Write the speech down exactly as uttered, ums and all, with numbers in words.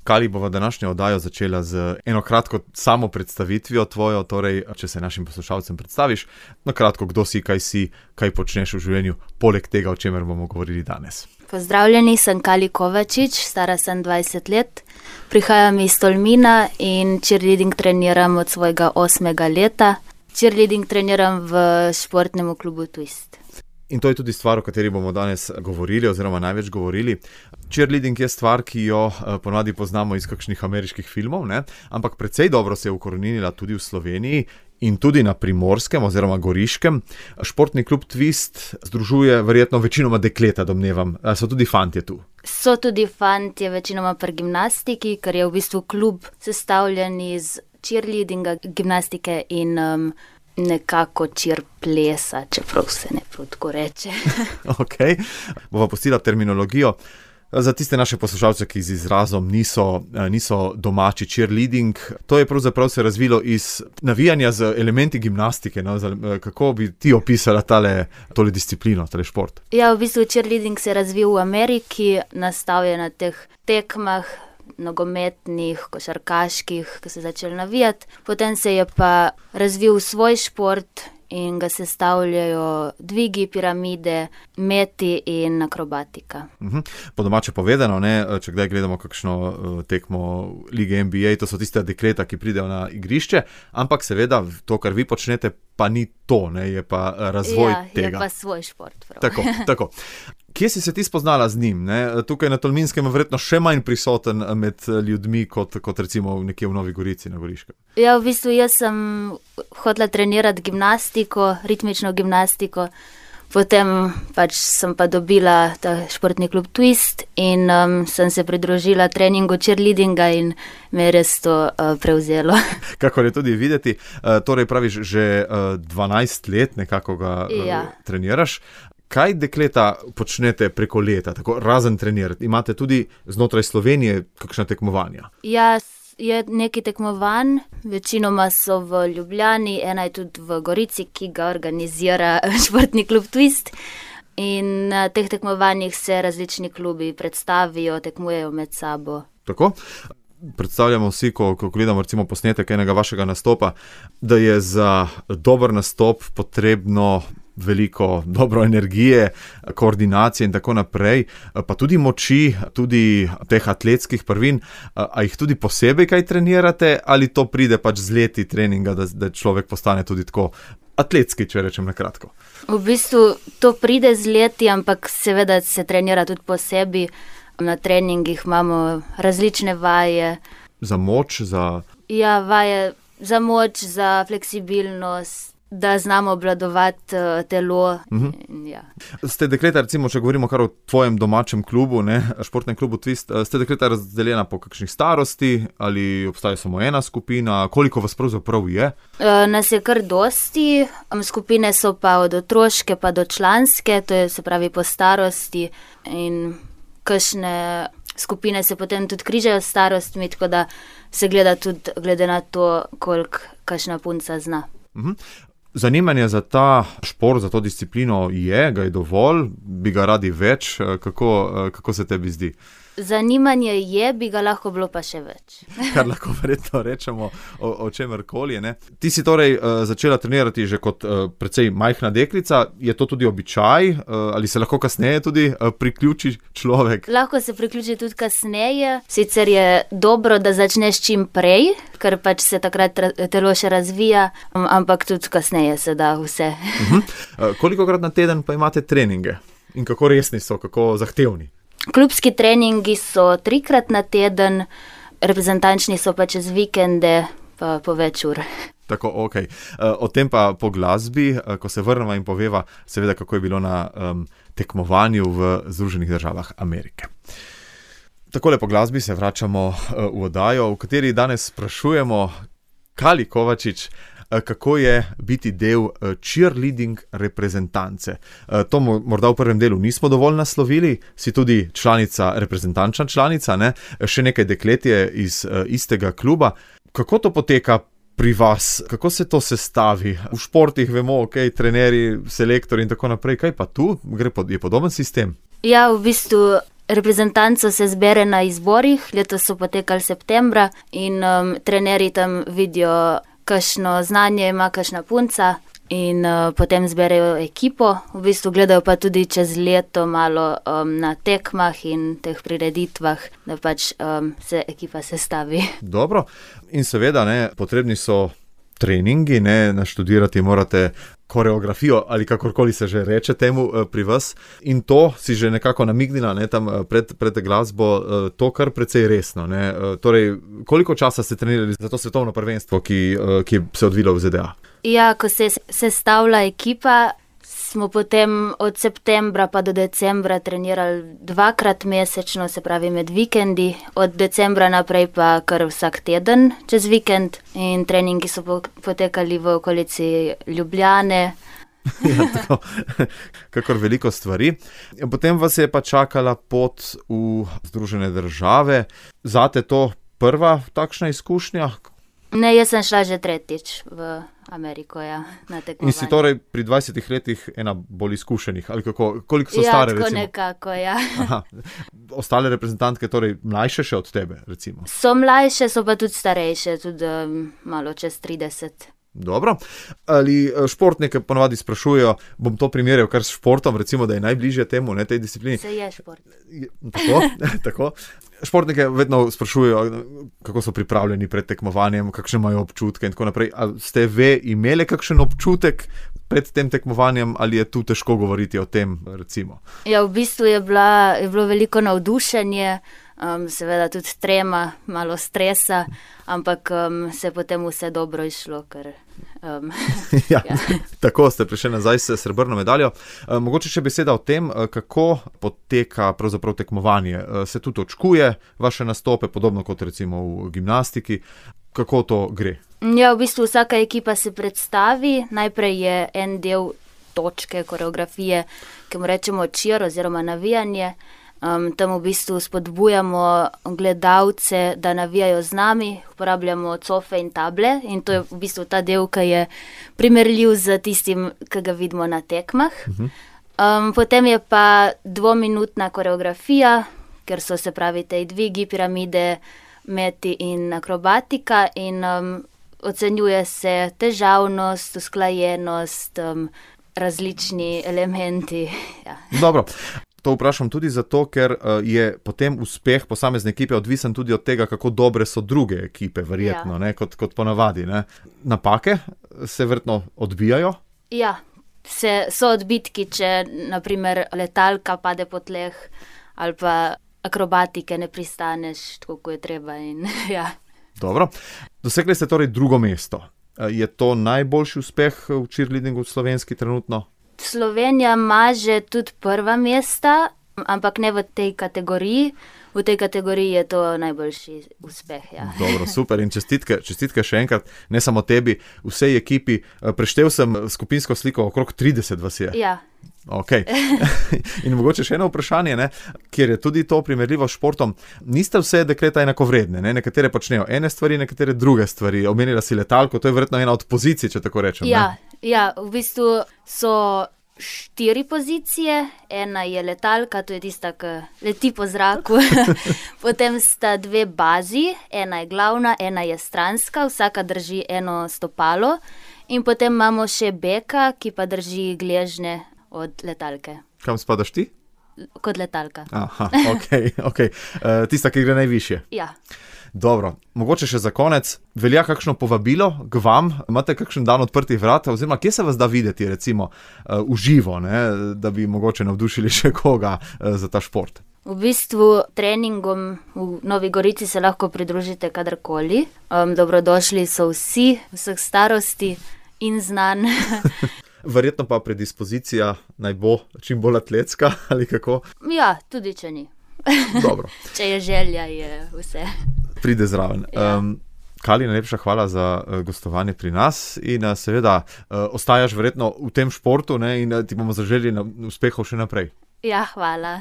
Kali, bova današnjo oddajo začela z eno kratko samo predstavitvijo tvojo, torej, če se našim poslušalcem predstaviš, na kratko, kdo si, kaj si, kaj počneš v življenju, poleg tega, o čemer bomo govorili danes. Pozdravljeni, sem Kali Kovačič, stara sem dvajset let, prihajam iz Tolmina in cheerleading treniram od svojega osmega leta. Cheerleading treniram v športnem klubu Twist. In to je tudi stvar, o kateri bomo danes govorili, oziroma največ govorili. Cheerleading je stvar, ki jo ponavadi poznamo iz kakšnih ameriških filmov, ne? Ampak precej dobro se je ukoreninila tudi v Sloveniji in tudi na Primorskem oziroma Goriškem. Športni klub Twist združuje verjetno večinoma dekleta, domnevam. So tudi fantje tu? So tudi fantje, večinoma pri gimnastiki, ker je v bistvu klub sestavljen iz cheerleadinga, gimnastike in um, nekako cheer plesa, čeprav se ne prav tako reče. Ok, bova pustila terminologijo. Za tiste naše poslušalce, ki z izrazom niso, niso domači, cheerleading, to je pravzaprav se razvilo iz navijanja z elementi gimnastike. No? Kako bi ti opisala tale, tole disciplino, tale šport? Ja, v bistvu cheerleading se je razvil v Ameriki, nastal je na teh tekmah, nogometnih, košarkaških, ki se začeli navijati. Potem se je pa razvil svoj šport in ga sestavljajo dvigi, piramide, meti in akrobatika. Uh-huh. Po domače povedano, ne, če kdaj gledamo kakšno uh, tekmo lige N B A, to so tiste dekleta, ki pridejo na igrišče, ampak seveda to, kar vi počnete, pa ni to, ne, je pa razvoj ja, tega. Ja, je pa svoj šport. Prav. Tako, tako. Kje si se ti spoznala z njim? Ne? Tukaj na Tolminskem je verjetno še manj prisoten med ljudmi, kot, kot recimo nekje v Novi Gorici na Goriškem. Ja, v bistvu jaz sem hotela trenirati gimnastiko, ritmično gimnastiko, potem pač sem pa dobila ta športni klub Twist in um, sem se pridružila treningu cheerleadinga in me je res to uh, prevzelo. Kakor je tudi videti, uh, torej praviš, že uh, dvanajst let nekako ga uh, ja. treniraš. Kaj dekleta počnete preko leta, tako razen trenirati? Imate tudi znotraj Slovenije kakšna tekmovanja? Ja, je nekaj tekmovanj, večinoma so v Ljubljani, ena je tudi v Gorici, ki ga organizira športni klub Twist. In na teh tekmovanjih se različni klubi predstavijo, tekmujejo med sabo. Tako? Predstavljamo vsi, ko, ko gledamo recimo posnetek enega vašega nastopa, da je za dober nastop potrebno veliko dobro energije, koordinacije in tako naprej, pa tudi moči, tudi teh atletskih prvin. A jih tudi posebej kaj trenirate ali to pride pač z leti treninga, da, da človek postane tudi tako atletski, če rečem na kratko? V bistvu to pride z leti, ampak seveda se trenira tudi posebej. Na treningih imamo različne vaje. Za moč, za... Ja, vaje za moč, za fleksibilnost, da znamo obvladovati uh, telo. Uh-huh. Ja. Ste dekleta, recimo, če govorimo kar o tvojem domačem klubu, ne, športnem klubu Twist, ste dekleta razdeljena po kakšnih starosti ali obstaja samo ena skupina? Koliko vas pravzaprav je? Uh, nas je kar dosti, skupine so pa od otroške pa do članske, to je se pravi po starosti in kakšne skupine se potem tudi križajo s starostmi, tako da se gleda tudi glede na to, koliko kakšna punca zna. Uh-huh. Zanimanje za ta šport, za to disciplino je, ga je dovolj, bi ga radi več, kako, kako se tebi zdi? Zanimanje je, bi ga lahko bilo pa še več. Kar lahko verjetno rečemo o, o čemerkoli, ne. Ti si torej uh, začela trenirati že kot uh, precej majhna deklica, je to tudi običaj, uh, ali se lahko kasneje tudi uh, priključi človek? Lahko se priključi tudi kasneje, sicer je dobro, da začneš čim prej, ker pač se takrat telo še razvija, um, ampak tudi kasneje se da vse. Uh-huh. Uh, kolikokrat na teden pa imate treninge? In kako resni so, kako zahtevni? Klubski treningi so trikrat na teden, reprezentančni so pa čez vikende, pa po več ur. Tako, ok. O tem pa po glasbi, ko se vrnemo in poveva, seveda, kako je bilo na um, tekmovanju v Združenih državah Amerike. Takole po glasbi se vračamo uh, v oddajo, v kateri danes sprašujemo Kali Kovačič, kako je biti del cheerleading reprezentance. To morda v prvem delu nismo dovolj naslovili, si tudi članica, reprezentančna članica, ne? Še nekaj deklet je iz istega kluba. Kako to poteka pri vas? Kako se to sestavi? V športih vemo, ok, trenerji, selektori in tako naprej. Kaj pa tu? Gre pod, je podoben sistem? Ja, v bistvu reprezentanco se zbere na izborih, letos so potekali septembra in um, trenerji tam vidijo, kakšno znanje ima kakšna punca in uh, potem zberejo ekipo. V bistvu gledajo pa tudi čez leto malo um, na tekmah in teh prireditvah, da pač um, se ekipa sestavi. Dobro. In seveda, ne, potrebni so treningi, ne, naštudirati morate koreografijo ali kakorkoli se že reče temu pri vas. In to si že nekako namignila, ne, tam pred, pred glasbo, to kar precej resno. Ne. Torej, koliko časa ste trenirali za to svetovno prvenstvo, ki, ki se je odvilo v Z D A? Ja, ko se je sestavila ekipa, smo potem od septembra pa do decembra trenirali dvakrat mesečno, se pravi med vikendi, od decembra naprej pa kar vsak teden čez vikend in treningi so potekali v okolici Ljubljane. Ja, tako, kakor veliko stvari. Potem vas je pa čakala pot v Združene države. Zate to prva takšna izkušnja? Ne, jaz sem šla že tretjič v Ameriko, ja, na tekmovanje. In si torej pri dvajsetih letih ena bolj izkušenih, ali kako? Koliko so ja, stare, recimo? Ja, tako recimo? nekako, ja. Aha. Ostale reprezentantke, torej mlajše še od tebe, recimo? So mlajše, so pa tudi starejše, tudi um, malo čez trideset. Dobro. Ali športnike ponovadi sprašujejo, bom to primerjal kar s športom, recimo, da je najbližje temu, ne, tej disciplini? Se je šport. Tako, tako. Športnike vedno sprašujejo, kako so pripravljeni pred tekmovanjem, kakšne imajo občutke in tako naprej. A ste ve imeli kakšen občutek pred tem tekmovanjem ali je tu težko govoriti o tem, recimo? Ja, v bistvu je, bila, je bilo veliko navdušenje, um, seveda tudi trema, malo stresa, ampak um, se je potem vse dobro išlo, ker... Um, ja, ja. Tako ste prišli nazaj s srebrno medaljo. E, mogoče še beseda o tem, kako poteka pravzaprav tekmovanje. E, se tudi točkuje vaše nastope, podobno kot recimo v gimnastiki. Kako to gre? Ja, v bistvu vsaka ekipa se predstavi. Najprej je en del točke, koreografije, ki mu rečemo cheer oziroma navijanje. Um, tam v bistvu spodbujamo gledalce, da navijajo z nami, uporabljamo cofe in table in to je v bistvu ta del, ki je primerljiv z tistim, ki ga vidimo na tekmah. Um, potem je pa dvominutna koreografija, ker so se pravi tej dvigi, piramide, meti in akrobatika in um, ocenjuje se težavnost, usklajenost, um, različni elementi. Ja. Dobro. To vprašam tudi zato, ker je potem uspeh posamezne ekipe odvisen tudi od tega, kako dobre so druge ekipe, verjetno, ja. ne, kot, kot ponavadi. Ne. Napake se verjetno odbijajo? Ja, se, so odbitki, če naprimer letalka pade po tleh ali pa akrobatike ne pristaneš tako, kot je treba. In, ja. Dobro. Dosegli ste torej drugo mesto. Je to najboljši uspeh v cheerleadingu v slovenski trenutno? Slovenija ima že tudi prva mesta, ampak ne v tej kategoriji. V tej kategoriji je to najboljši uspeh. Ja. Dobro, super in čestitke, čestitke še enkrat, ne samo tebi, vsej ekipi. Preštel sem skupinsko sliko, okrog trideset vas je. Ja. Ok. In mogoče še eno vprašanje, ne, kjer je tudi to primerljivo s športom. Niste vse dekleta enakovredne, ne? Nekatere počnejo ene stvari, nekatere druge stvari. Omenila si letalko, to je verjetno ena od pozicij, če tako rečem. Ja, ne? Ja, v bistvu so štiri pozicije, ena je letalka, to je tista, ki leti po zraku, potem sta dve bazi, ena je glavna, ena je stranska, vsaka drži eno stopalo in potem imamo še beka, ki pa drži gležnje od letalke. Kam spadaš ti? Kot letalka. Aha, ok, ok. Uh, tista, ki gre najvišje. Ja. Dobro, mogoče še za konec, velja kakšno povabilo k vam, imate kakšen dan odprtih vrat, oziroma kje se vas da videti, recimo, uh, v živo, ne, da bi mogoče navdušili še koga uh, za ta šport? V bistvu treningom v Novi Gorici se lahko pridružite kadarkoli. Um, dobrodošli so vsi, vseh starosti in znanj. Verjetno pa predispozicija naj bo čim bolj atletska, ali kako? Ja, tudi če ni. Dobro. Če je želja, je vse. Pride zraven. Ja. Um, Kali, najlepša hvala za uh, gostovanje pri nas in uh, seveda uh, ostajaš verjetno v tem športu, ne, in uh, ti bomo zaželili uspehov še naprej. Ja, hvala.